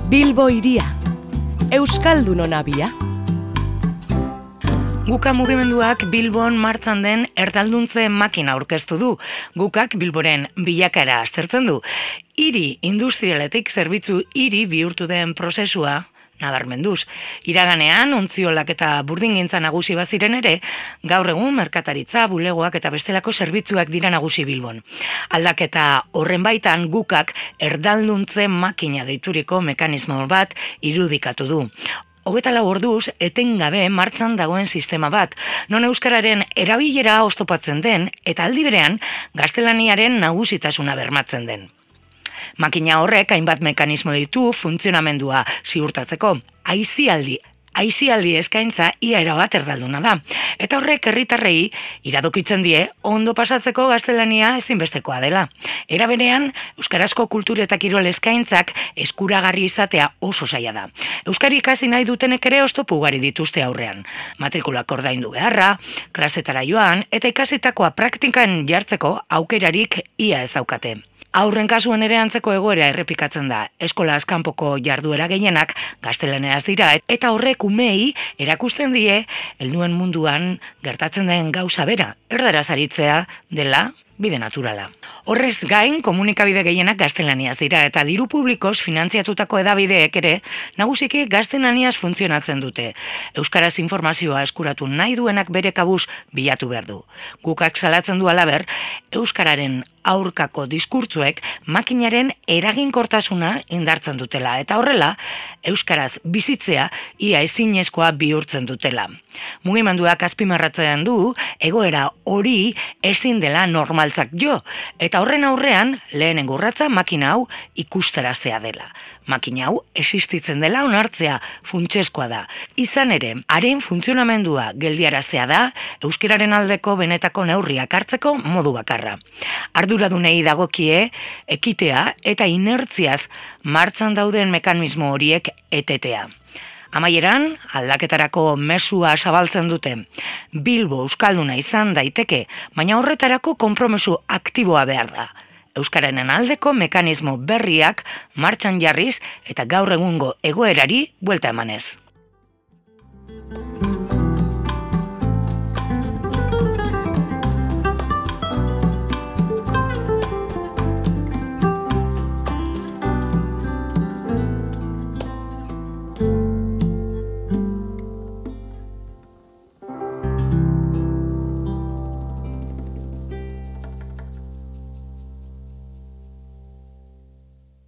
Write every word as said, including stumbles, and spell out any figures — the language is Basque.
Bilbo hiria, Euskaldunon abia. Guka mugimenduak Bilbon martxan den erdalduntze makina aurkeztu du. Gukak Bilboren bilakaera aztertzen du. Hiri industrialetik zerbitzu hiri bihurtu den prozesua nabarmenduz. Iraganean, ontziolak eta burdingintza nagusi baziren ere, gaur egun merkataritza, bulegoak eta bestelako zerbitzuak dira nagusi Bilbon. Aldaketa horren baitan Gukak erdalduntze makina deituriko mekanismo bat irudikatu du. Hogeta lau orduz, etengabe martxan dagoen sistema bat, non euskararen erabilera oztopatzen den eta aldi berean gaztelaniaren nagusitasuna bermatzen den. Makina horrek hainbat mekanismo ditu funtzionamendua ziurtatzeko. Aisialdi, aisialdi eskaintza ia erabat erdalduna da. Eta horrek herritarrei iradokitzen die ondo pasatzeko gaztelania ezinbestekoa dela. Era berean, euskarazko kultur eta kirol eskaintzak eskuragarri izatea oso zaila da. Euskari ikasi nahi dutenek ere oztopo ugari dituzte aurrean. Matrikulak ordaindu beharra, klasetara joan eta ikasitakoa praktikan jartzeko aukerarik ia ez daukate. Aurren kasuan ere antzeko egoera errepikatzen da. Eskola kanpoko jarduera gehienak gaztelaneraz dira eta horrek umeei erakusten die helduen munduan gertatzen den gauza bera, erdaraz aritzea dela bide naturala. Horrez gain, komunikabide gehienak gaztelaniaz dira eta diru publikoz finantziatutako edabideek ere nagusiki gaztelaniaz funtzionatzen dute. Euskaraz informazioa eskuratu nahi duenak bere kabuz bilatu behar du. Gukak salatzen du halaber, euskararen aurkako diskurtzuek makinaren eraginkortasuna indartzen dutela eta horrela, euskaraz bizitzea ia ezinezkoa bihurtzen dutela. Mugimenduak azpimarratzen du, egoera hori ezin dela normaltzak jo, eta horren aurrean lehenengo urratsa makina hau ikustaraztea dela. Makina hau existitzen dela onartzea funtsezkoa da. Izan ere, haren funtzionamendua geldiaraztea da, euskararen aldeko benetako neurriak hartzeko modu bakarra. Arduradunei dagokie, ekitea eta inertziaz martxan dauden mekanismo horiek etetea. Amaieran, aldaketarako mesua zabaltzen dute. Bilbo euskalduna izan daiteke, baina horretarako konpromesu aktiboa behar da. Euskararen aldeko mekanismo berriak martxan jarriz eta gaur egungo egoerari buelta emanez.